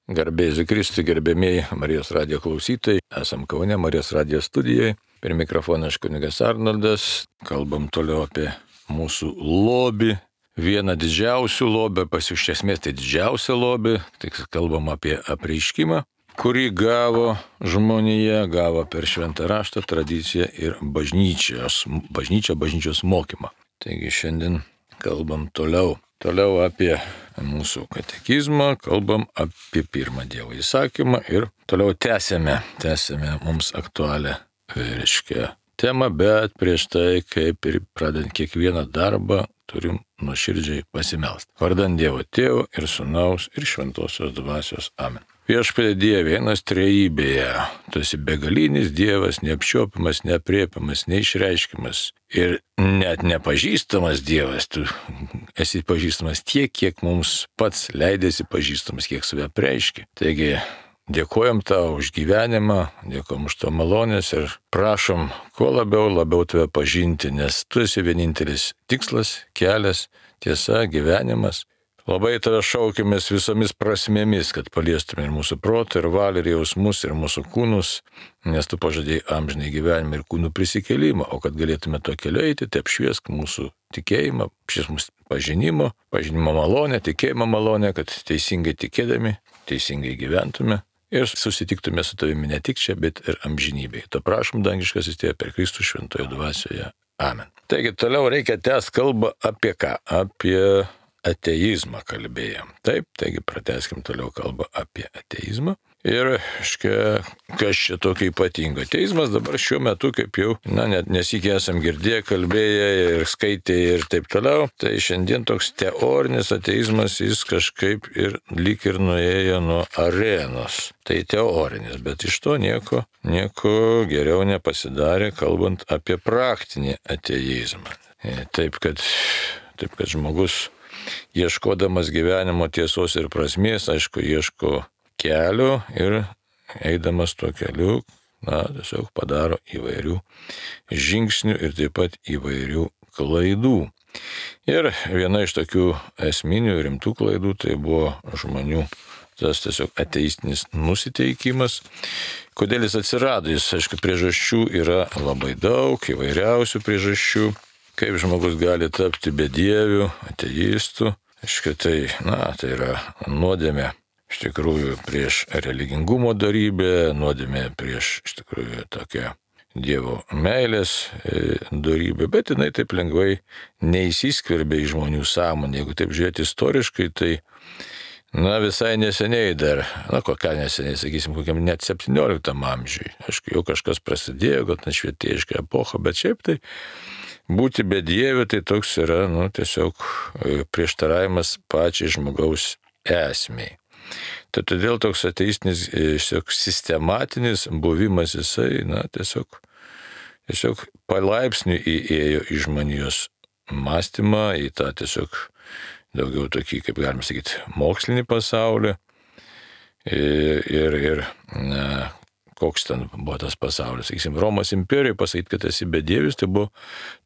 Garbėsiu Kristui, gerbėmiai Marijos radijo klausytojai. Esam Kaune Marijos radijo studijoje. Per mikrofoną aš kunigas Arnoldas. Kalbam toliau apie mūsų lobį. Vieną didžiausių lobį, iš esmės tai didžiausią lobį. Tik kalbam apie apreiškimą, kurį gavo žmonija, gavo per šventą raštą, tradiciją ir bažnyčios mokymą. Taigi šiandien kalbam toliau apie mūsų katekizmą, kalbam apie pirmą Dievo įsakymą ir toliau tęsėme mums aktualią, temą, bet prieš tai, kaip ir pradedant kiekvieną darbą, turim nuoširdžiai pasimelsti. Vardan Dievo Tėvo ir Sūnaus ir Šventosios Dvasios. Amen. Viešpatie Dieve, vienas trejybėje, tu esi begalinis Dievas, neapčiuopiamas, neaprėpiamas, neišreiškiamas ir net nepažįstamas Dievas. Tu esi pažįstamas tiek, kiek mums pats leidėsi pažįstamas, kiek save apreiški. Taigi, dėkojam tau už gyvenimą, dėkojam už to malonės ir prašom kuo labiau tave pažinti, nes tu esi vienintelis tikslas, kelias, tiesa, gyvenimas. Labai tave šaukimės visomis prasmėmis, kad paliestume ir mūsų protą, ir valią, ir jausmus, ir mūsų kūnus, nes tu pažadėjai amžinai gyvenimą ir kūnų prisikėlimą, o kad galėtume to keliu eiti, tai apšviesk mūsų tikėjimą, apšviesk mūsų pažinimo malonę, tikėjimo malonę, kad teisingai tikėdami, teisingai gyventume ir susitiktume su tavimi ne tik čia, bet ir amžinybėje. To prašom, dangiškasis Tėve, per Kristų šventoje dvasioje. Amen. Taigi toliau reikia tęsti kalbą apie ką? Apie ateizmą kalbėjom. Taip, taigi pratęskim toliau kalbą apie ateizmą. Ir, kas čia tokio ypatingo? Ateizmas dabar šiuo metu, kaip jau, net nesikį esam girdėję, kalbėję ir skaitę ir taip toliau. Tai šiandien toks teorinis ateizmas, jis kažkaip ir lyg ir nuėjo nuo arenos. Tai teorinis, bet iš to nieko geriau nepasidarė, kalbant apie praktinį ateizmą. Taip, kad žmogus ieškodamas gyvenimo tiesos ir prasmės, aišku, ieško kelio ir eidamas tuo keliu, tiesiog padaro įvairių žingsnių ir taip pat įvairių klaidų. Ir viena iš tokių esminių rimtų klaidų tai buvo žmonių tas tiesiog ateistinis nusiteikimas. Kodėl jis atsirado? Aišku, priežasčių yra labai daug, įvairiausių priežasčių. Kaip žmogus gali tapti bedieviu, ateistu. Tai yra nuodėmė iš tikrųjų prieš religingumo dorybę, nuodėmė prieš iš tikrųjų tokią Dievo meilės dorybę, bet jinai taip lengvai neįsiskverbia į žmonių sąmonę. Jeigu taip žiūrėti istoriškai, tai visai neseniai dar, neseniai, sakysim, kokiam net 17 amžiui. Aišku, jau kažkas prasidėjo, gal švietėjiška epocha, bet šiaip tai būti bedieviu tai toks yra, tiesiog prieštaravimas pačiai žmogaus esmei. Tai todėl toks ateistinis, sistematinis buvimas jisai, tiesiog palaipsniui įėjo į žmonijos mąstymą, į tą tiesiog daugiau tokį, kaip galima sakyti, mokslinį pasaulį. Ir koks ten buvo tas pasaulis. Sakysim, Romos imperijoje pasakyti, kad esi bedievis, tai buvo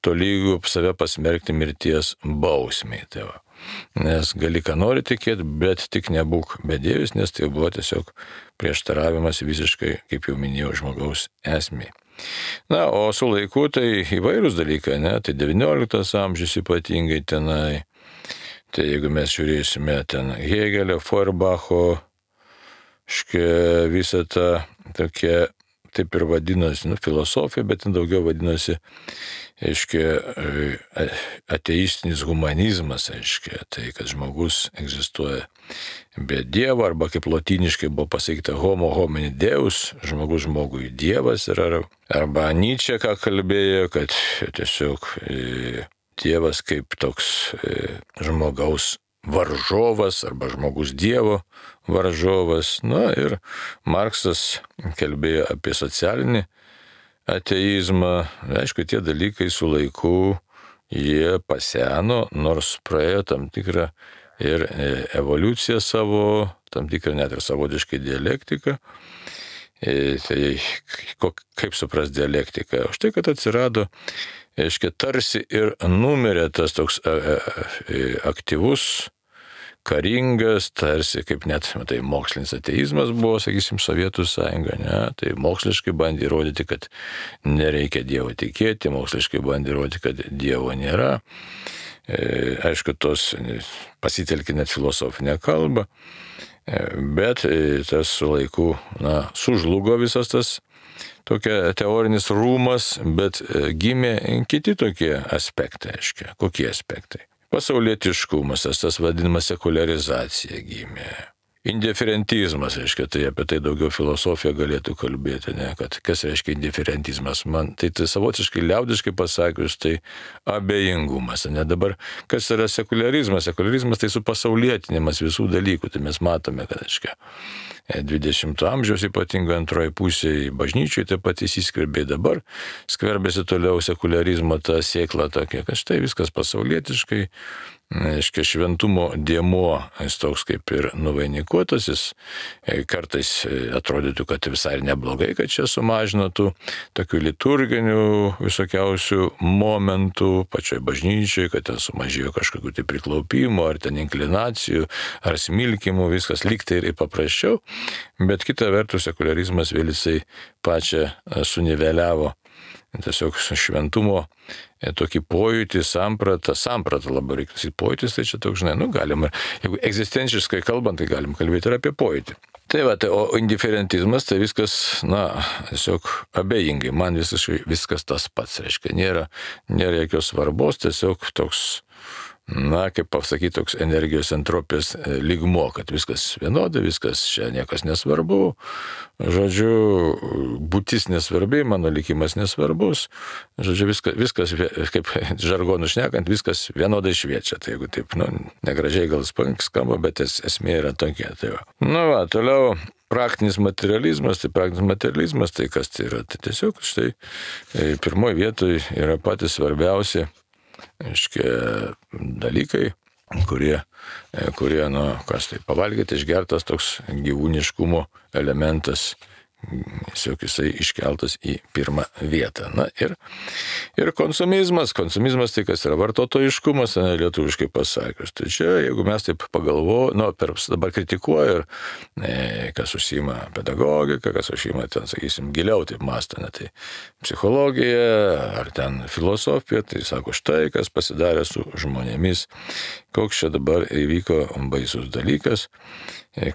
tolygu save pasmerkti mirties bausmei. Tai va. Nes gali ką nori tikėti, bet tik nebūk bedievis, nes tai buvo tiesiog prieštaravimas visiškai, kaip jau minėjau, žmogaus esmei. O su laiku tai įvairūs dalykai, tai 19 amžius ypatingai tenai. Tai jeigu mes žiūrėsime ten Hegelio, Feuerbacho, visą tą tokia, taip ir vadinosi, filosofija, bet ten daugiau vadinosi, ateistinis humanizmas, tai kad žmogus egzistuoja be Dievo, arba kaip lotyniškai buvo pasakyta homo homini deus, žmogus žmogui Dievas, arba Nyčė, ką kalbėjo, kad tiesiog Dievas kaip toks žmogaus varžovas arba žmogus Dievo varžovas. Ir Marksas kalbėjo apie socialinį ateizmą. Aišku, tie dalykai su laiku jie paseno, nors praėjo tam tikrą ir evoliuciją savo, tam tikrą net ir savotiškai dialektiką. Tai kaip supras dialektiką? Už tai, kad atsirado, tarsi ir numirė tas toks aktyvus karingas, tarsi kaip net tai mokslinis ateizmas buvo, sakysim, Sovietų sąjunga, ne? Tai moksliškai bandė įrodyti, kad nereikia Dievo tikėti, moksliškai bandė įrodyti, kad Dievo nėra. Aišku, tos pasitelkė net filosofinę kalbą, bet tas su laiku, sužlugo visas tas tokia teorinis rūmas, bet gimė kiti tokie aspektai, aiškiai. Kokie aspektai? Pasaulietiškumas, tas vadinamas sekuliarizacija gimė. Indiferentizmas, reiškia, tai apie tai daugiau filosofija galėtų kalbėti, ne, kad kas reiškia indiferentizmas. Man tai savotiškai liaudiškai pasakius, tai abejingumas. Ne, dabar kas yra sekularizmas? Sekularizmas tai supasaulietinimas visų dalykų. Tai mes matome, kad, reiškia, 20 amžiaus ypatingai antroji pusėje bažnyčiai taip pat įsiskverbė, dabar skverbėsi toliau sekularizmo ta sėkla tokia, kad štai viskas pasaulietiškai, reiškia, šventumo dėmuo, jis toks kaip ir nuvainikuotasis, kartais atrodytų, kad visai neblogai, kad čia sumažino tų tokių liturginių visokiausių momentų pačioj bažnyčiai, kad ten sumažėjo kažkokių tai priklaupimų, ar ten inklinacijų, ar smilkimų, viskas lygtai ir paprasčiau, bet kita vertus sekularizmas vėl jisai pačią suniveliavo tiesiog šventumo tokį pojūtį, sampratą labai reikia sakyti, pojūtis, tai čia toks, žinai, galima, jeigu egzistenciškai kalbant, tai galim kalbėti ir apie pojūtį. Tai va, o indiferentizmas, tai viskas, tiesiog abejingai, man viskas tas pats, reiškia, nėra jokios svarbos, tiesiog toks, kaip pasakyti, toks energijos entropijos lygmuo, kad viskas vienodai, viskas čia niekas nesvarbu, žodžiu, būtis nesvarbi, mano likimas nesvarbus, žodžiu, viskas kaip žargonu šnekant, viskas vienodai šviečia, tai jeigu taip, negražiai gal skamba, bet esmė yra tokia. Tai va. Toliau praktinis materializmas, tai kas tai yra? Tai tiesiog štai pirmoje vietoje yra patys svarbiausi, aiškiai, dalykai, kurie kas tai pavalgyti, išgertas toks gyvūniškumo elementas, tiesiog jisai iškeltas į pirmą vietą. Ir konsumizmas tai kas yra vartotojiškumas, lietuviškai pasakius. Tai čia, jeigu mes taip dabar kritikuoju ir kas užsiima pedagogika, kas užsiima ten, sakysim, giliau taip mąstane, tai psichologija ar ten filosofija, tai sako štai, kas pasidarė su žmonėmis, koks čia dabar įvyko baisus dalykas,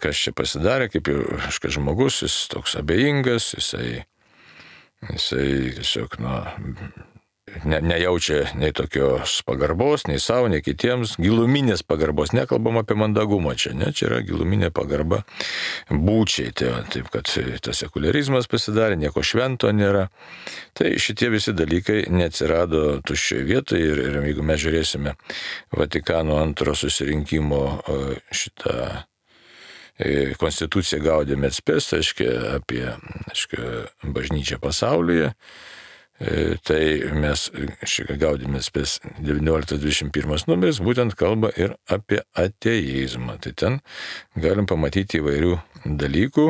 kas čia pasidarė, kaip jau žmogus, jis toks abejingas, jisai tiesiog, nejaučia nei tokios pagarbos, nei savo, nei kitiems, giluminės pagarbos, nekalbam apie mandagumą čia, čia yra giluminė pagarba būčiai, taip kad tas sekularizmas pasidarė, nieko švento nėra, tai šitie visi dalykai neatsirado tuščioje vietoje ir jeigu mes žiūrėsime Vatikano antro susirinkimo šitą konstituciją Gaudium et Spes, apie bažnyčią pasaulyje, tai mes Gaudium et Spes 19-21 numeris būtent kalba ir apie ateizmą. Tai ten galim pamatyti įvairių dalykų,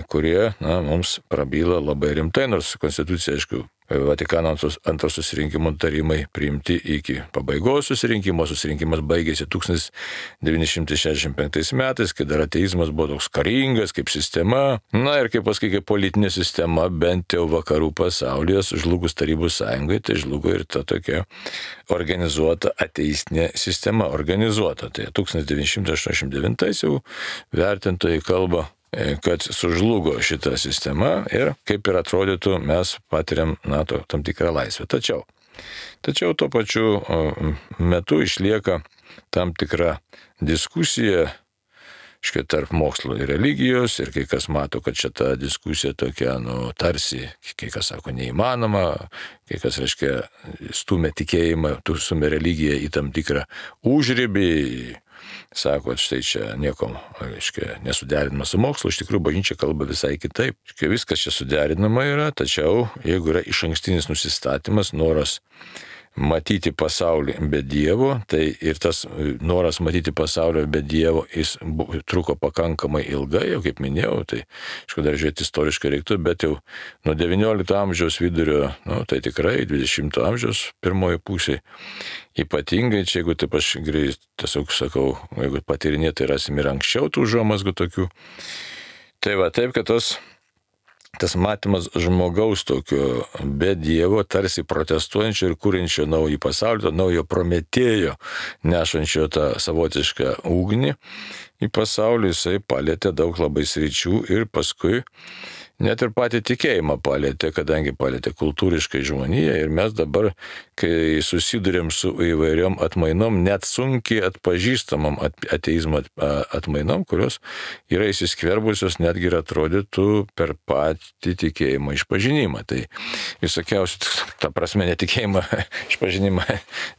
kurie mums prabyla labai rimtai, nors konstitucija, Vatikano antro susirinkimo tarimai priimti iki pabaigos susirinkimo. Susirinkimas baigėsi 1965 metais, kai dar ateizmas buvo toks karingas kaip sistema. Ir kaip pasakyti, kaip politinė sistema, bent jau vakarų pasaulyje, žlugus Tarybų sąjungai, tai žlugo ir ta tokia organizuota ateistinė sistema. Tai 1989 jau vertintojai kalba, kad sužlugo šita sistema ir kaip ir atrodytų, mes patiriam tam tikrą laisvę. Tačiau tuo pačiu metu išlieka tam tikra diskusija tarp mokslo ir religijos ir kai kas mato, kad šita diskusija tokia, tarsi, kai kas sako neįmanoma, kai kas, stumia tikėjimą, stumia religiją į tam tikrą užribį, sako, kad štai čia nieko, nesuderinama su mokslu, iš tikrųjų bažnyčia kalba visai kitaip. Viskas čia suderinama yra, tačiau jeigu yra išankstinis nusistatymas, noras matyti pasaulį be Dievo, tai ir tas noras matyti pasaulį be Dievo, jis truko pakankamai ilgai, jau kaip minėjau, tai aišku, dar žiūrėti istoriškai reiktų, bet jau nuo XIX amžiaus vidurio, tai tikrai 20 amžiaus pirmoji pusė, ypatingai čia, jeigu taip aš tiesiog sakau, jeigu patyrinėti, tai rasim ir anksčiau tų užuomazgų tokių. Tai va, taip, kad tas matymas žmogaus tokio be Dievo, tarsi protestuojančio ir kūrinčio naują pasaulį, naujo Prometėjo, nešančio tą savotišką ugnį į pasaulį, jisai palėtė daug labai sričių ir paskui net ir patį tikėjimą palėtė, kadangi palėtė kultūriškai žmoniją ir mes dabar, kai susidurėm su įvairiom atmainom, net sunkiai atpažįstamam ateizmo atmainom, kurios yra įsiskverbusios netgi ir atrodytų per patį tikėjimą išpažinimą. Tai visokiausių, ta prasme, netikėjimą išpažinimą,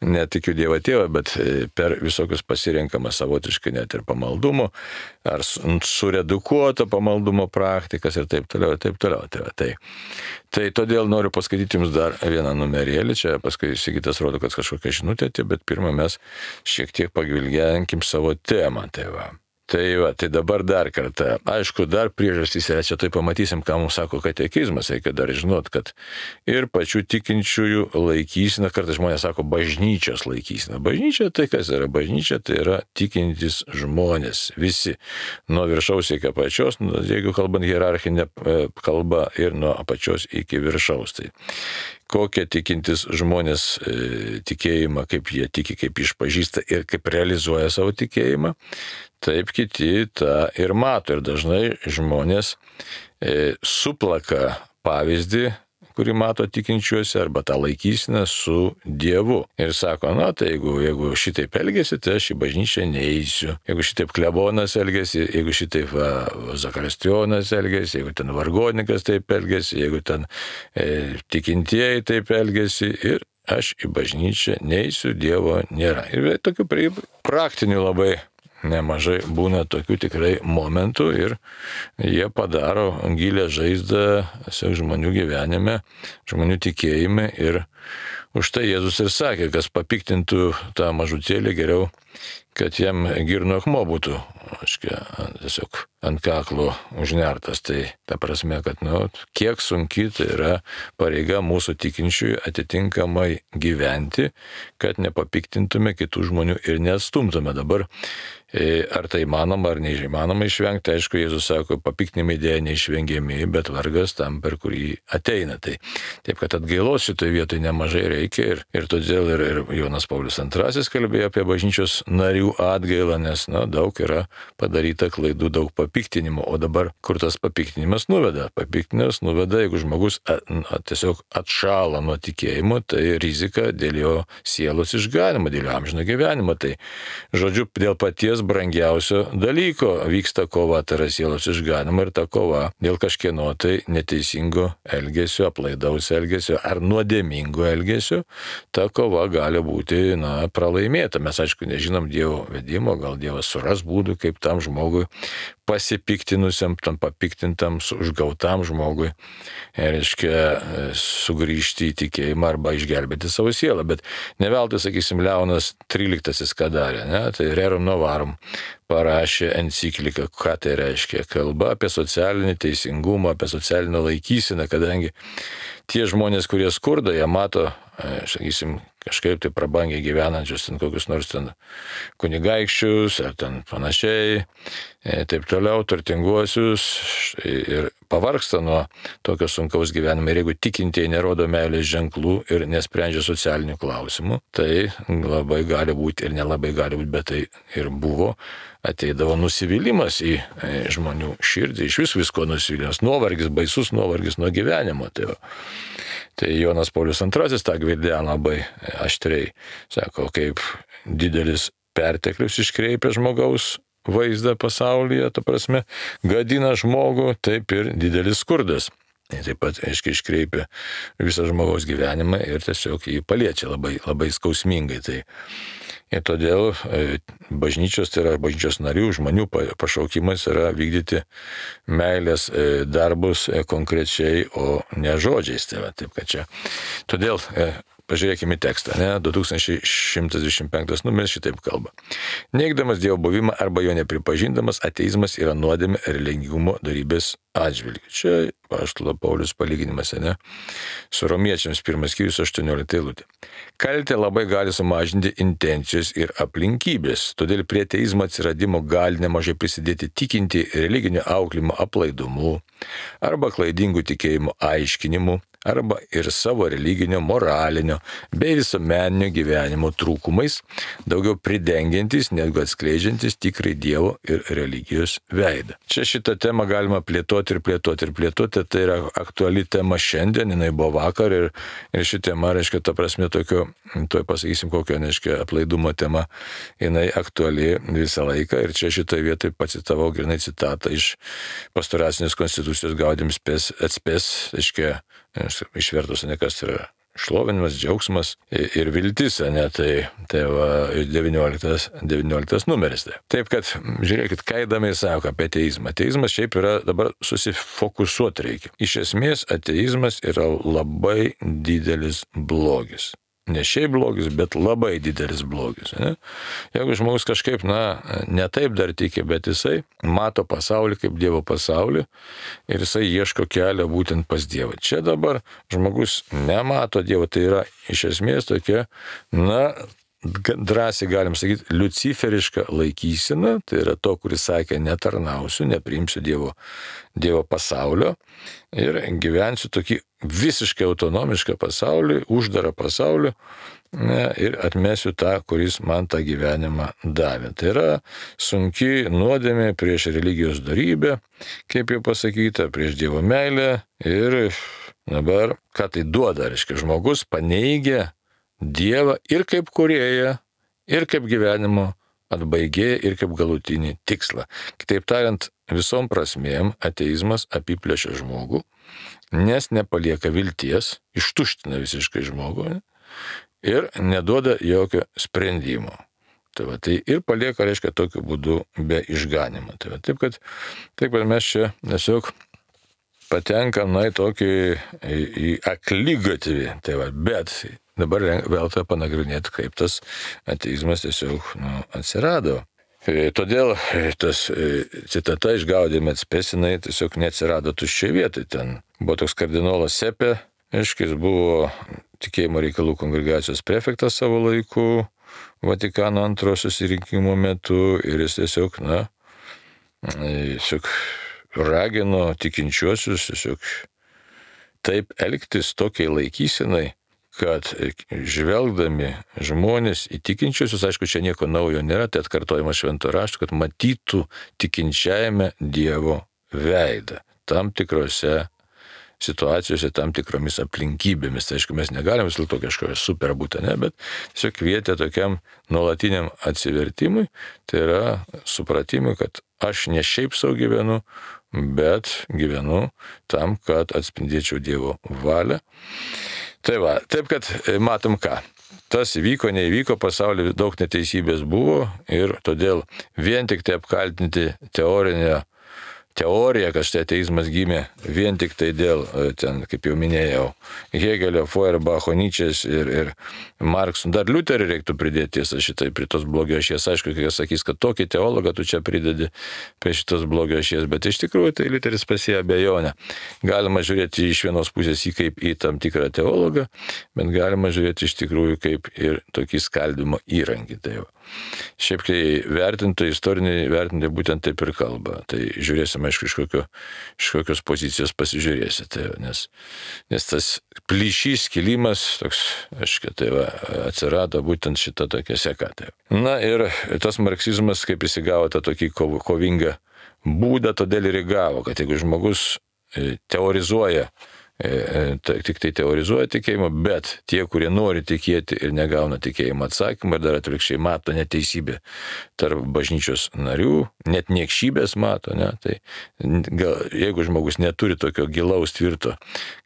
netikiu Dievą Tėvą, bet per visokius pasirenkamas savotiškai net ir pamaldumo, ar suredukuoto pamaldumo praktikas ir taip toliau. Tai todėl noriu paskaityti jums dar vieną numerėlį, čia paskui Sigitas rodo, kad kažkokia žinutė, bet pirmą mes šiek tiek pagvilgenkim savo temą. Tai dabar dar kartą, aišku, dar priežastys yra, čia tai pamatysim, ką mums sako katekizmas, reikia dar žinot, kad ir pačių tikinčiųjų laikysena, kartais žmonės sako bažnyčios laikysena. Bažnyčia tai kas yra? Bažnyčia tai yra tikintys žmonės, visi, nuo viršaus iki apačios, jeigu kalbant hierarchinę kalbą ir nuo apačios iki viršaus. Tai kokie tikintis žmonės tikėjimą, kaip jie tiki, kaip išpažįsta ir kaip realizuoja savo tikėjimą, taip kiti tą ir mato. Ir dažnai žmonės suplaka pavyzdį, kurį mato tikinčiuose, arba tą laikysiną su Dievu. Ir sako, tai jeigu šitaip elgesi, tai aš į bažnyčią neįsiu. Jeigu šitaip klebonas elgesi, jeigu šitaip zakristijonas elgesi, jeigu ten vargonikas taip elgesi, jeigu ten tikintieji taip elgesi, ir aš į bažnyčią neįsiu, Dievo nėra. Ir tokių praktinių labai nemažai būna tokių tikrai momentų ir jie padaro gilę žaizdą žmonių gyvenime, žmonių tikėjime ir už tai Jėzus ir sakė, kas papiktintų tą mažutėlį, geriau, kad jam girno akmuo būtų, tiesiog ant kaklo užnertas. Tai ta prasme, kad kiek sunki tai yra pareiga mūsų tikinčiųjų atitinkamai gyventi, kad nepapiktintume kitų žmonių ir neatstumtume. Dabar ar tai įmanoma ar neįmanoma išvengti, aišku, Jėzus sako, papiktinimai dėja neišvengiami, bet vargas tam, per kurį ateina. Tai taip, kad atgailos šitoje vietoje nemažai reikia ir todėl ir Jonas Paulius II kalbėjo apie bažnyčios narių atgailą, nes daug yra padaryta klaidų, daug papiktinimo, o dabar kur tas papiktinimas nuveda? Papiktinimas nuveda, jeigu žmogus tiesiog atšala nuo tikėjimo, tai rizika dėl jo sielos išganimo, dėl jo amžino gyvenimo. Tai žodžiu, dėl paties brangiausio dalyko vyksta kova, tai yra sielos išganimo, ir ta kova dėl kažkieno tai neteisingo elgesio, aplaidaus elgesio ar nuodėmingo elgesio, ta kova gali būti pralaimėta. Mes aišku nežinom Dievo vedimo, gal Dievas suras būdų, kaip tam žmogui pasipiktinusiam, tam papiktintam, užgautam žmogui, reiškia, sugrįžti į tikėjimą arba išgelbėti savo sielą. Bet ne veltui, sakysim, Leonas XIII ką darė, tai Rerum Novarum parašė encikliką, ką tai reiškia. Kalba apie socialinį teisingumą, apie socialinę laikyseną, kadangi tie žmonės, kurie skurda, jie mato, sakysim, kažkaip tai prabangiai gyvenančius ten kokius nors ten kunigaikščius ar ten panašiai, taip toliau, turtinguosius, ir pavargsta nuo tokio sunkaus gyvenimo. Ir jeigu tikintieji nerodo meilės ženklų ir nesprendžia socialinių klausimų, tai labai gali būti ir nelabai gali būti, bet tai ir buvo, ateidavo nusivylimas į žmonių širdį, iš visko nusivylimas, nuovargis, baisus nuovargis nuo gyvenimo. Tai Jonas Paulius II tą gvildeno labai aštriai. Sako, kaip didelis perteklius iškreipia žmogaus vaizdą pasaulyje, ta prasme, gadina žmogų, taip ir didelis skurdas. Taip pat, aiškiai, iškreipia visą žmogaus gyvenimą ir tiesiog jį paliečia labai, labai skausmingai. Ir todėl bažnyčios, tai yra bažnyčios narių, žmonių pašaukimas yra vykdyti meilės darbus konkrečiai, o ne žodžiais. Taip, kad čia. Todėl pažiūrėkime tekstą, ne? 2125 numeris šitaip kalba. Neigdamas Dievo buvimą arba jo nepripažindamas, ateizmas yra nuodėmė religingumo darybės atžvilgiu. Čia apaštalo Paulius palyginimas, ne? Su Romiečiams 1 skyrius 18 eilutė. Kaltė labai gali sumažinti intencijos ir aplinkybės, todėl prie ateizmo atsiradimo gali nemažai prisidėti tikinti religinio auklimo aplaidumu arba klaidingų tikėjimų aiškinimu, arba ir savo religinio, moralinio bei visuomeninio gyvenimo trūkumais, daugiau pridengiantis, negu atskleidžiantis tikrai Dievo ir religijos veidą. Čia šitą temą galima plėtoti, tai yra aktuali tema šiandien, jinai buvo vakar ir ši tema, reiškia, ta prasme tokio, tuoj pasakysim kokio, reiškia, aplaidumo tema, jinai aktuali visą laiką ir čia šitoje vietoje pacitavau grinai citatą iš pastoracinės konstitucijos Gaudium spes et spes, reiškia, išvertus, ne kas yra šlovinimas, džiaugsmas ir viltis, ne, tai va, 19 numeris. Taip kad, žiūrėkit, ką įdomiai sako apie ateizmą. Ateizmas šiaip yra, dabar susifokusuoti reikia. Iš esmės, ateizmas yra labai didelis blogis. Ne šiaip blogis, bet labai didelis blogis. Ne? Jeigu žmogus kažkaip, ne taip dar tiki, bet jisai mato pasaulį kaip Dievo pasaulį ir jisai ieško kelio būtent pas Dievą. Čia dabar žmogus nemato Dievo, tai yra iš esmės tokia, drąsiai galim sakyti, liuciferiška laikysena, tai yra to, kuris sakė, netarnausiu, nepriimsiu Dievo pasaulio ir gyvensiu tokį visiškai autonomišką pasaulį, uždarą pasaulį ir atmesiu tą, kuris man tą gyvenimą davė. Tai yra sunki nuodėmė prieš religijos darybę, kaip jau pasakyta, prieš Dievo meilę ir dabar, ką tai duoda, reiškia, žmogus paneigia Dievą ir kaip kūrėją, ir kaip gyvenimo atbaigėją, ir kaip galutinį tikslą. Kitaip tariant, visom prasmėm ateizmas apiplėšia žmogų, nes nepalieka vilties, ištuština visiškai žmogų ir neduoda jokio sprendimo. Tai ir palieka, reiškia, tokiu būdu be išganimo. Taip kad mes čia tiesiog patenkam į akligatvį. Bet dabar verta panagrinėti, kaip tas ateizmas tiesiog atsirado. Todėl tas citata iš Gaudium et spes tiesiog neatsirado tuščiai vietai. Ten buvo toks kardinolas Sepė, aiškiai, jis buvo tikėjimo reikalų kongregacijos prefektas savo laiku, Vatikano antrojo susirinkimo metu ir jis tiesiog ragino tikinčiuosius tiesiog taip elgtis tokiai laikysenai, kad žvelgdami žmonės į tikinčiuosius, aišku, čia nieko naujo nėra, tai atkartojimas švento rašto, kad matytų tikinčiajame Dievo veidą tam tikrose situacijose, tam tikromis aplinkybėmis. Tai aišku, mes negalim vis dėlto kažkokio super būti, bet tiesiog kvietė tokiam nuolatiniam atsivertimui, tai yra supratimui, kad aš ne šiaip savo gyvenu, bet gyvenu tam, kad atspindėčiau Dievo valią. Tai va, taip kad matom ką. Tas įvyko, neįvyko, pasaulyje daug neteisybės buvo ir todėl vien tik tai apkaltinti teoriją, kad štai ateizmas gimė vien tik tai dėl, ten, kaip jau minėjau, Hegelio, Feuerbacho, Nyčės ir Markso. Dar Liuterį reiktų pridėti tiesą šitai prie tos blogio ašies. Aišku, kai jis sakys, kad tokį teologą tu čia pridedi prie šitos blogio ašies, bet iš tikrųjų tai Liuteris pasėjo abejonę. Galima žiūrėti iš vienos pusės į kaip į tam tikrą teologą, bet galima žiūrėti iš tikrųjų kaip ir tokį skaldimo įrankį. Tai jau. Šiaip kai istoriniai vertintojai būtent taip ir kalba. Tai žiūrėsime, aišku, iš kokios pozicijos pasižiūrėsite. Nes tas plyšys, skilimas, toks, aišku, atsirado būtent šita tokia seka. Na ir tas marksizmas, kaip jis įgavo tą tokį kovingą būdą, todėl ir įgavo, kad jeigu žmogus teorizuoja, tik tai teorizuoja tikėjimą, bet tie, kurie nori tikėti ir negauna tikėjimo atsakymą ir dar atvirkščiai mato neteisybę tarp bažnyčios narių, net niekšybės mato, tai jeigu žmogus neturi tokio gilaus tvirto,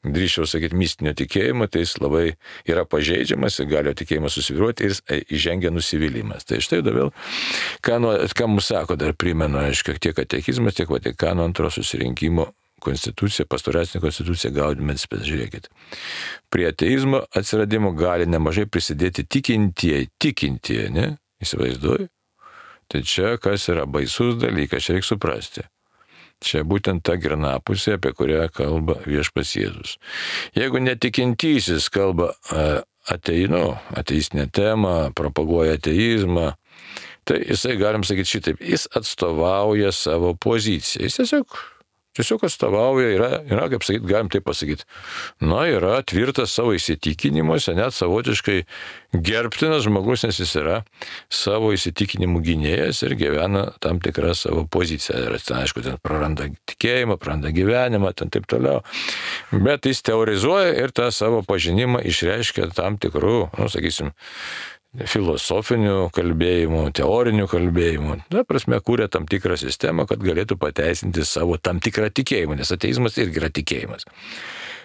drįsčiau sakyti, mistinio tikėjimo, tai jis labai yra pažeidžiamas, gali tikėjimas susvyruoti ir jis įžengia nusivylimas. Tai štai dabar, ką mums sako, dar primenu, aišku, tiek katekizmas, tiek Vatikano antrojo susirinkimo konstituciją, pastoracinę konstituciją Gaudium et Spes. Žiūrėkit. Prie ateizmo atsiradimo gali nemažai prisidėti tikintieji, ne? Įsivaizduoju? Tai čia kas yra baisus dalykas, čia reikia suprasti. Čia būtent ta grinapusė, apie kurią kalba Viešpats Jėzus. Jeigu netikintysis kalba ateistinę temą, propaguoja ateizmą, tai jisai, galim sakyti šitaip, jis atstovauja savo poziciją. Jis tiesiog atstovauja, yra kaip sakyti, galim taip pasakyti, yra tvirtas savo įsitikinimuose, net savotiškai gerbtinas žmogus, nes jis yra savo įsitikinimų gynėjas ir gyvena tam tikrą savo poziciją. Ir aišku, ten praranda tikėjimą, praranda gyvenimą, ten taip toliau. Bet jis teorizuoja ir tą savo pažinimą išreiškia tam tikrų, sakysim, filosofinių kalbėjimų, teorinių kalbėjimų. Prasme, kūrė tam tikrą sistemą, kad galėtų pateisinti savo tam tikrą tikėjimą, nes ateizmas irgi yra tikėjimas.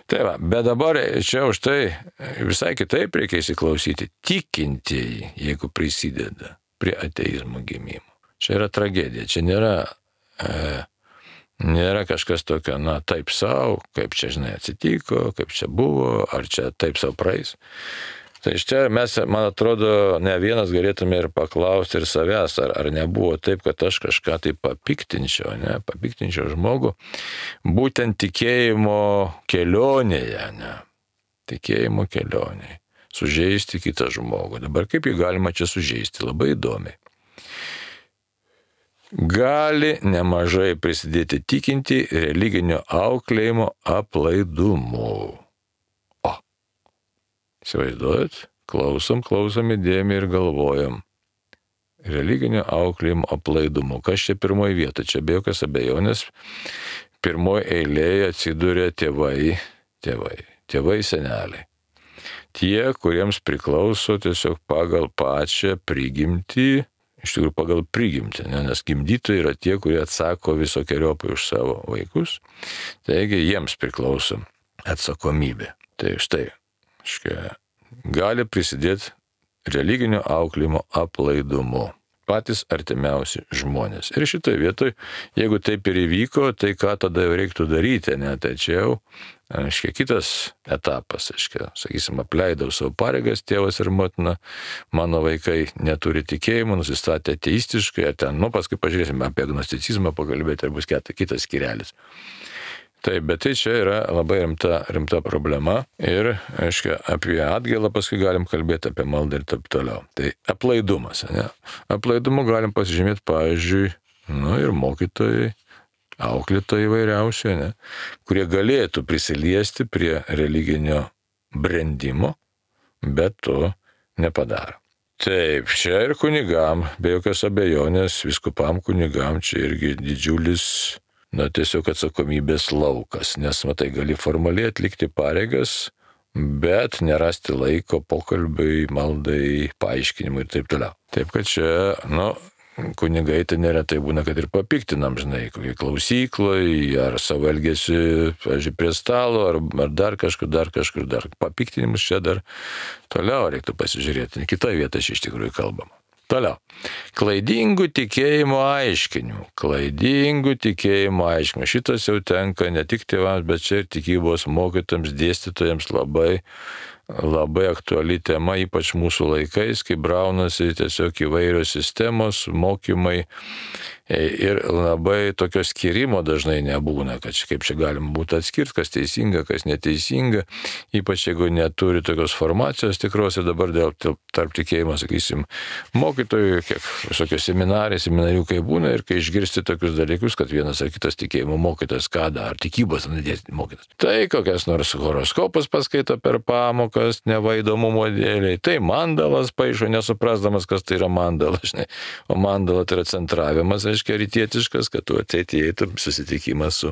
Tai va, bet dabar čia už tai visai kitaip reikia įsiklausyti. Tikintieji, jeigu prisideda prie ateizmo gimimo. Čia yra tragedija, čia nėra kažkas tokio, taip savo, kaip čia, atsitiko, kaip čia buvo, ar čia taip savo praeis. Tai iš čia mes, man atrodo, ne vienas galėtume ir paklausti ir savęs, ar nebuvo taip, kad aš kažką tai papiktinčiau žmogų, būtent tikėjimo kelionėje, tikėjimo kelionėje, sužeisti kitą žmogų. Dabar kaip jį galima čia sužeisti? Labai įdomiai. Gali nemažai prisidėti tikinti religinio auklėjimo aplaidumu. Įsivaizduojat? Klausom įdėmiai ir galvojam. Religinio auklėjimo aplaidumu. Kas čia pirmoji vieta? Čia be jokios abejonės. Pirmoji eilėje atsiduria tėvai seneliai. Tie, kuriems priklauso tiesiog pagal pačią prigimtį, iš tikrųjų pagal prigimtį, nes gimdytojai yra tie, kurie atsako visokiojopai už savo vaikus. Taigi jiems priklauso atsakomybė. Tai štai. Gali prisidėti religinio auklėjimo aplaidumu. Patys artimiausi žmonės. Ir šitoje vietoje, jeigu taip ir įvyko, tai ką tada reiktų daryti, tai čia jau, kitas etapas, sakysim, apleidau savo pareigas, tėvas ir motina, mano vaikai neturi tikėjimo, nusistatė ateistiškai, ar ten, paskui pažiūrėsime apie agnosticizmą pakalbėti, ar bus kitas skyrelis. Taip, bet tai čia yra labai rimta problema ir, apie atgailą paskui galim kalbėti apie maldą ir taip toliau. Tai aplaidumas, Aplaidumu galim pasižymėti, pavyzdžiui, ir mokytojai, auklėtojai įvairiausiai, kurie galėtų prisiliesti prie religinio brendimo, bet to nepadaro. Taip, čia ir kunigam, be jokios abejonės, vyskupam kunigam, čia irgi didžiulis tiesiog atsakomybės laukas, nes, gali formaliai atlikti pareigas, bet nerasti laiko pokalbiui, maldai, paaiškinimui ir taip toliau. Taip, kad čia, kunigai tai neretai būna, kad ir papiktinam, kokiai klausykloje, ar savo elgesi, pavyzdžiui, prie stalo, ar dar kažkur. Papiktinimus čia dar toliau reiktų pasižiūrėti, kitoje vietoje iš tikrųjų kalbama. Toliau. Klaidingų tikėjimo aiškinimų. Šitas jau tenka ne tik tėvams, bet čia ir tikybos mokytojams, dėstytojams labai aktuali tema, ypač mūsų laikais, kai braunasi tiesiog įvairios sistemos, mokymai ir labai tokio skirimo dažnai nebūna, kad kaip čia galima būtų atskirti, kas teisinga, kas neteisinga, ypač jeigu neturi tokios formacijos tikros ir dabar dėl tarp tikėjimo, sakysim, mokytojų, kiek visokios seminariukai būna ir kai išgirsti tokius dalykus, kad vienas ar kitas tikėjimo mokytas, ką dar tikybos mokytas. Tai kokias nors horoskopas paskaito per pamokas, nevaidomumo dėliai, tai mandalas paišo, nesuprasdamas, kas tai yra mandala, o mandala tai yra centravimas, rytietiškas, kad tu ateitum susitikimą su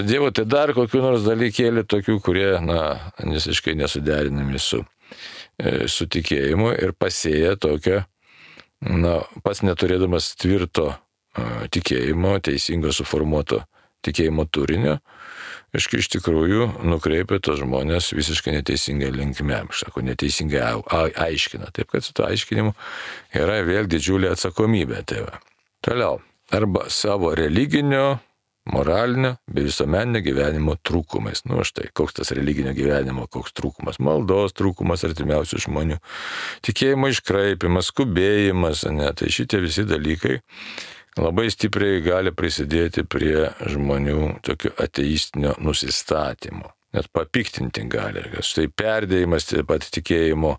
Dievu. Tai dar kokių nors dalykėlių tokių, kurie, visiškai nesuderinami su tikėjimu ir pasėja tokią, pats neturėdamas tvirto tikėjimo, teisingo suformuoto tikėjimo turinio, iš tikrųjų nukreipia tos žmonės visiškai neteisingai linkme, neteisingai aiškina. Taip, kad su to aiškinimu yra vėl didžiulė atsakomybė. Tai va. Toliau, arba savo religinio moralinio bei visuomeninio gyvenimo trūkumais. Štai, koks tas religinio gyvenimo, koks trūkumas, maldos trūkumas artimiausių žmonių, tikėjimo iškraipimas, skubėjimas, tai šitie visi dalykai labai stipriai gali prisidėti prie žmonių tokio ateistinio nusistatymo. Net papiktinti gali. Štai perdėjimas taip pat tikėjimo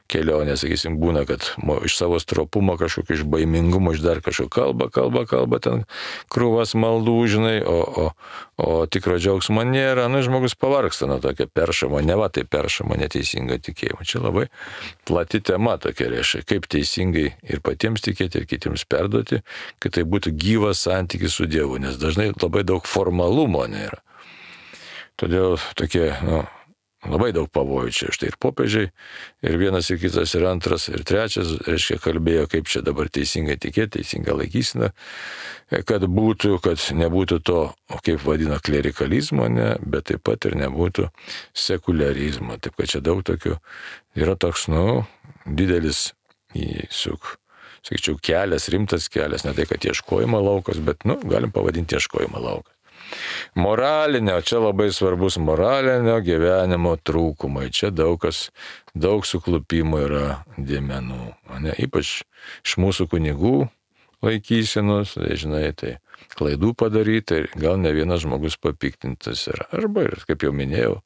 kelionė, sakysim, būna, kad iš savo stropumo kažkokio, iš baimingumo, iš dar kažkokio kalba, ten krūvas maldų, žinai, o tikro džiaugsmo nėra, žmogus pavargsta nuo tokio peršamo, tai peršamo neteisingo tikėjimo. Čia labai plati tema tokia, reiškia, kaip teisingai ir patiems tikėti, ir kitiems perduoti, kad tai būtų gyvas santykis su Dievu, nes dažnai labai daug formalumo nėra. Todėl tokie, labai daug pavojų čia. Štai ir popiežiai, ir vienas, ir kitas, ir antras, ir trečias, reiškia, kalbėjo, kaip čia dabar teisingai tikėti, teisinga laikysena, kad nebūtų to, kaip vadina, klerikalizmo, bet taip pat ir nebūtų sekuliarizmo. Taip, kad čia daug tokių yra toks, didelis, sakyčiau, kelias, rimtas kelias, ne tai, kad ieškojimo laukas, bet, galim pavadinti ieškojimo laukas. Moralinio, čia labai svarbus moralinio gyvenimo trūkumai. Čia daug suklupimų yra dėmenų. Ypač iš mūsų kunigų laikysenos, žinai, tai klaidų padaryti ir gal ne vienas žmogus papiktintas yra. Arba, kaip jau minėjau,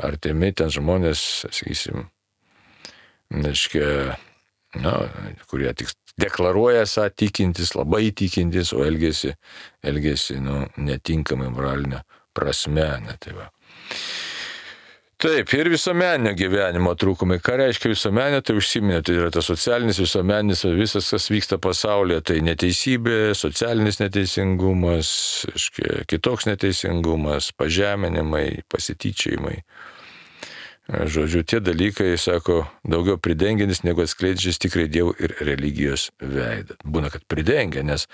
artimi ten žmonės, sakysim, kurie tik deklaruoja esą tikintis, labai tikintis, o elgesi netinkamai moralinė prasme. Taip, ir visuomeninio gyvenimo trūkumai. Ką reiškia visuomeninio, tai užsiminė, tai yra tas socialinis, visuomeninis, visas, kas vyksta pasaulyje, tai neteisybė, socialinis neteisingumas, kitoks neteisingumas, pažeminimai, pasityčiojimai. Žodžiu, tie dalykai, sako, daugiau pridengiantis, negu atskleidžiantis tikrai Dievo ir religijos veidą. Būna, kad pridengia, nes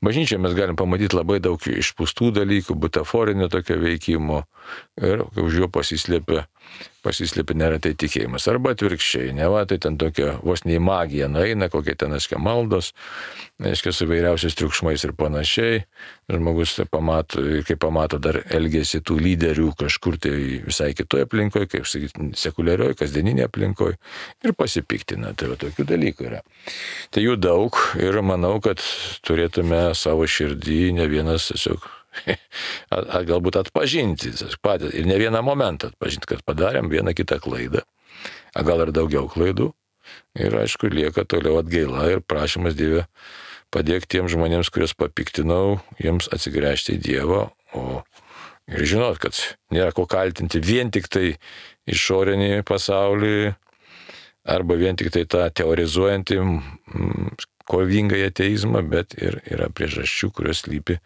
bažnyčioje mes galim pamatyti labai daug išpūstų dalykų, butaforinio tokio veikimo ir už jo pasislėpia neretai tikėjimas. Arba atvirkščiai, tai ten tokia vos nei magija nueina, kokie ten, maldos, su vairiausiais triukšmais ir panašiai. Žmogus kai pamato dar elgesi tų lyderių kažkur tai visai kitoje aplinkoje, kaip sakyti, sekuliarioje, kasdieninėje aplinkoje ir pasipiktina. Tai tokių dalykų yra. Tai jų daug ir manau, kad turėtume savo širdį ne vienas tiesiog galbūt atpažinti patys ir ne vieną momentą atpažinti, kad padarėm vieną kitą klaidą, gal ir daugiau klaidų ir aišku lieka toliau atgaila ir prašymas Dieve padėk tiems žmonėms, kuriuos papiktinau, jiems atsigręžti į Dievą, ir žinot, kad nėra ko kaltinti vien tik tai išorinį pasaulį arba vien tik tai tą teorizuojantį kovingą ateizmą, bet ir yra priežasčių, kurios slypi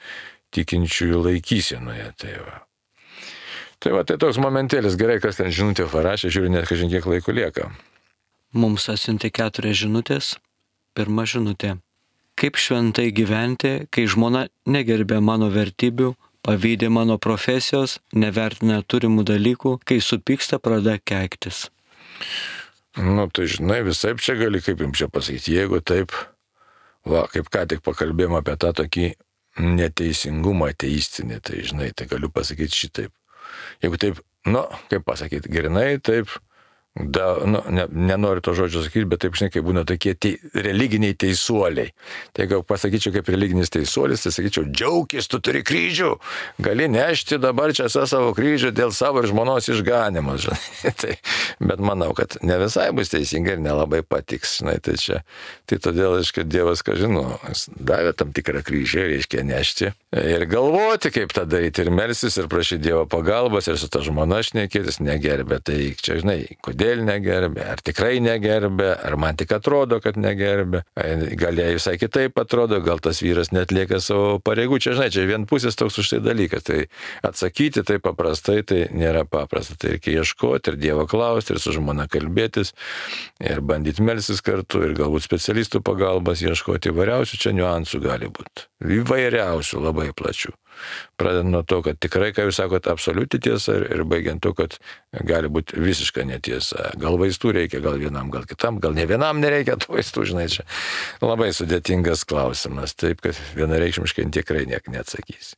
tikinčiųjų laikysenoje. Tai toks momentėlis, gerai, kas ten žinutė parašė, žiūrė, net kažin kiek laiko lieka. Mums atsiuntė 4 žinutės. Pirma žinutė. Kaip šventai gyventi, kai žmona negerbė mano vertybių, pavydi mano profesijos, nevertina turimų dalykų, kai supyksta, pradeda keiktis. Tai žinai, visaip čia gali, kaip jums čia pasakyti, jeigu taip, kaip ką tik pakalbėjom apie tą tokį neteisingumą ateistinį, tai žinai, tai galiu pasakyti šitaip. Jeigu taip, kaip pasakyti, grinai taip, nenoriu to žodžio sakyti, bet taip, žinai, kaip būna tokie religiniai teisuoliai. Tai jeigu pasakyčiau kaip religinis teisuolis, tai sakyčiau, džiaukis, tu turi kryžių, gali nešti dabar čia savo kryžių dėl savo ir žmonos išganimo. Bet manau, kad ne visai bus teisinga ir nelabai patiks. Žinai, tai todėl, kad Dievas, davė tam tikrą kryžių, reiškia nešti ir galvoti, kaip tą daryti, ir melstis, ir prašyti Dievo pagalbos, ir su ta žmona šnekėtis, negerbė. Tai čia, žinai, kodėl negerbė, ar tikrai negerbė, ar man tik atrodo, kad negerbė, gal jai visai kitaip atrodo, gal tas vyras netlieka savo pareigų, čia, žinai, čia vienpusis toks už tai dalykas, tai atsakyti tai paprastai, tai nėra paprasta, tai reikia ieškoti ir Dievo klausti, ir su žmona kalbėtis, ir bandyti melstis kartu, ir galbūt specialistų pagalbas ieškoti, įvairiausių čia niuansų gali būti, įvairiausių, labai plačių. Pradedant nuo to, kad tikrai, ką jūs sakot, absoliuti tiesa ir baigiant to, kad gali būti visiška netiesa. Gal vaistų reikia, gal vienam, gal kitam, gal ne vienam nereikia tų vaistų, žinai, čia labai sudėtingas klausimas, taip, kad vienareikšmiškai tikrai niek neatsakysi.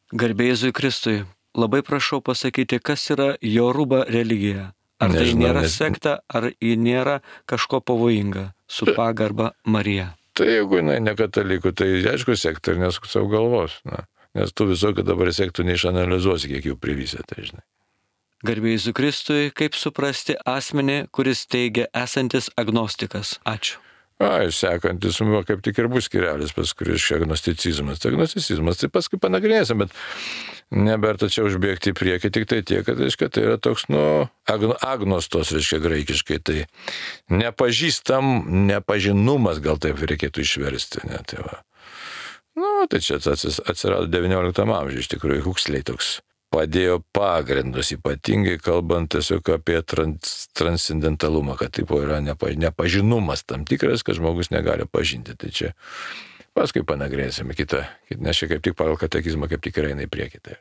Garbė Jėzui Kristui, labai prašau pasakyti, kas yra Joruba religija. Ar tai Nežinau, nėra sekta, ar ji nėra kažko pavojinga, su pagarba Marija. Tai jeigu jinai ne katalikų, tai aišku sekta ir nesuk savo galvos. Nes tu visokių dabar sektų neišanalizuosi, kiek jų privysė, tai žinai. Garbė Jėzui Kristui, kaip suprasti asmenį, kuris teigia esantis agnostikas. Ačiū. Sekantis, kaip tik ir bus skirelis, paskui reiškia agnosticizmas. Tai agnosticizmas, tai paskui panagrinėsim, bet neberta čia užbėgti į priekį, tik tai tiek, kad reiškia, tai yra toks, agnostos, reiškia graikiškai, tai nepažinumas, gal taip reikėtų išversti. Ne, tai va. Tai čia atsirado XIX amžiuje, iš tikrųjų, Huxley toks padėjo pagrindus, ypatingai kalbant tiesiog apie transcendentalumą, kad taip yra nepažinumas tam tikras, kad žmogus negali pažinti. Tai čia paskui panagrėsime kitą, nes čia kaip tik pagal katekizmą kaip tik yra eina į priekį. Tai.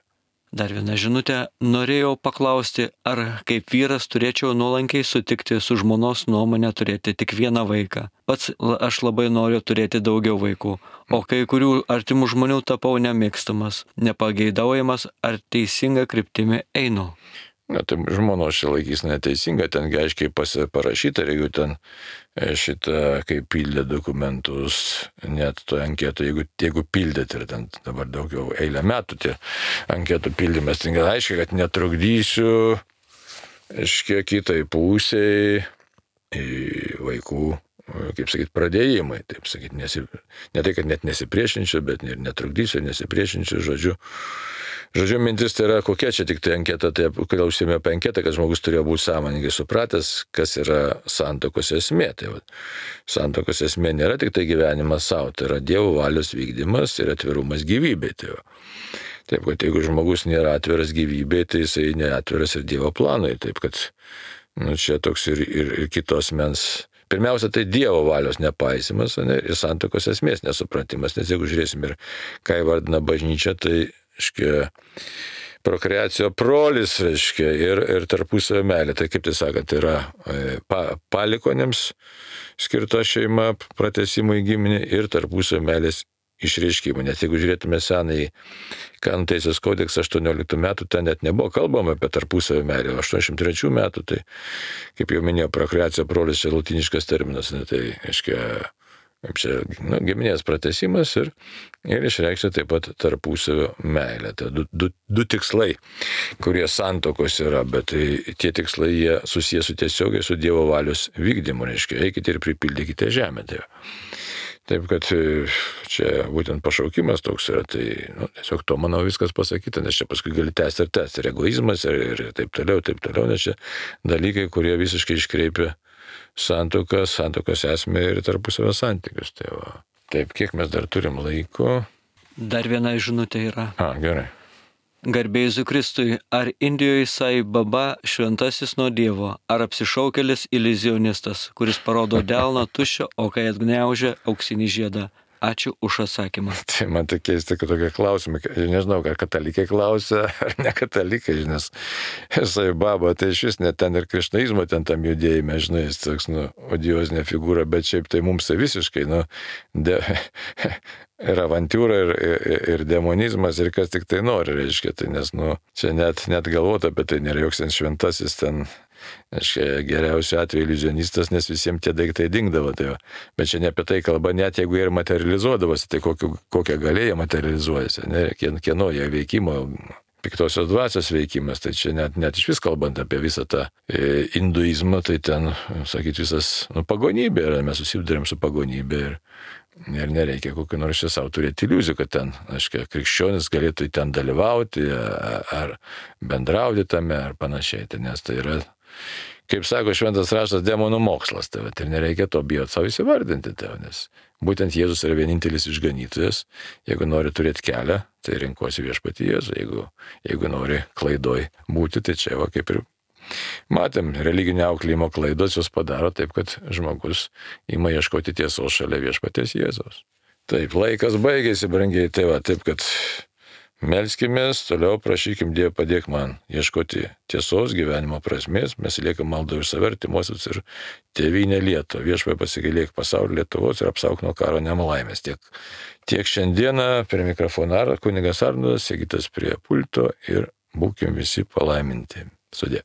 Dar viena žinutė. Norėjau paklausti, ar kaip vyras turėčiau nuolankiai sutikti su žmonos nuomonė turėti tik vieną vaiką. Pats aš labai noriu turėti daugiau vaikų, o kai kurių artimų žmonių tapau nemėgstamas, nepageidaujamas, ar teisinga kryptimi einu. Tai žmonos čia laikys neteisinga, ten aiškiai parašyta, ir jeigu ten šitą, kaip pildė dokumentus, net to anketo, jeigu pildėt ir ten dabar daugiau eilę metų tie anketų pildymas, tai aiškiai, kad netrukdysiu, kitai pusiai vaikų, kaip sakyti, pradėjimai, taip sakyti, ne tai, kad net nesipriešinčiau, bet ir netrukdysiu, nesipriešinčiau, Žodžiu, mintis tai yra, kokia čia tik tai anketa, tai kodėl užsiėmė apie anketą, kad žmogus turėjo būti sąmoningai supratęs, kas yra santuokos esmė. Tai santuokos esmė nėra tik tai gyvenimas savo, tai yra Dievo valios vykdymas ir atvirumas gyvybei. Taip, kad jeigu žmogus nėra atviras gyvybei, tai jisai neatviras ir Dievo planui. Taip, kad čia toks ir kitos mens. Pirmiausia, tai Dievo valios nepaisimas ir santuokos esmės nesupratimas, nes jeigu žiūrėsim ir ką įvardina bažnyčia, tai prokreacijo prolis, ir tarpusavio meilė. Tai kaip tai sakant, yra palikonėms skirta šeima, pratesimui giminė ir tarpusavio meilės išreiškimų. Net jeigu žiūrėtume senąjį Kanonų teisės kodeksą 18 metų, ten net nebuvo kalbama apie tarpusavio meilę. 83 metų, tai kaip jau minėjau, prokreacijo prolis čia latiniškas terminas. Tai čia giminės pratesimas ir išreikšti taip pat tarpusavio meilę. Tai du tikslai, kurie santuokos yra, bet tie tikslai jie susijęs tiesiogiai su Dievo valios vykdymu, eikite ir pripildykite žemę. Taip, kad čia būtent pašaukimas toks yra, tai tiesiog to, manau, viskas pasakyta, nes čia paskui gali tęsti ir egoizmas ir taip toliau, nes čia dalykai, kurie visiškai iškreipia santuokos esmę ir tarpusavio santykius. Taip, kiek mes dar turim laiko? Dar viena žinutė yra. Gerai. Garbė Jėzui Kristui, ar Indijoje Sai Baba šventasis nuo Dievo, ar apsišaukėlis iliuzionistas, kuris parodo delną tuščią, o kai atgniaužia auksinį žiedą? Ačiū už atsakymą. Tai man tai keista, kad tokie klausimai, nežinau, ar katalikai klausia, ar ne katalikai, nes Sai Baba, tai iš vis net ten ir krišnaizmo ten tam judėjime, žinai, jis toks, odiozinė figūra, bet šiaip tai mums tai visiškai, ir avantūra, ir demonizmas, ir kas tik tai nori, tai nes, čia net galvota apie tai, nėra joks ten šventasis ten, geriausiu atveju iliuzionistas, nes visiems tie daiktai dingdavo. Bet čia ne apie tai kalba, net jeigu jie ir materializuodavosi, tai kokią galėję materializuojasi, kieno jie veikimo, piktosios dvasios veikimas, tai čia net iš vis kalbant apie visą tą hinduizmą, tai ten, sakyt, visas pagonybė yra, mes susidurėm su pagonybė ir nereikia kokio nors čia savo turėti iliuzijų, kad ten, krikščionis galėtų ten dalyvauti, ar bendrauti tame, ar panašiai, nes tai yra, kaip sako šventas raštas, demonų mokslas, ir nereikia to bijoti savo įsivardinti, nes būtent Jėzus yra vienintelis išganytojas, jeigu nori turėti kelią, tai rinkosi viešpatį Jėzų, jeigu nori klaidoj būti, tai čia va kaip ir matėm, religinio auklėjimo klaidos jos padaro taip, kad žmogus ima ieškoti tiesos šalia viešpaties Jėzaus. Taip, laikas baigėsi, brangiai, taip, kad Melskimės, toliau prašykim Dievą, padėk man ieškoti tiesos, gyvenimo prasmės. Mes liekam maldą už save, artimuosius ir tėvynę Lietuvą. Viešpatie pasigailėk pasaulio Lietuvos ir apsauk nuo karo nelaimės. Tiek šiandieną prie mikrofono kunigas Arnoldas, Sigitas prie pulto ir būkim visi palaiminti. Sudie.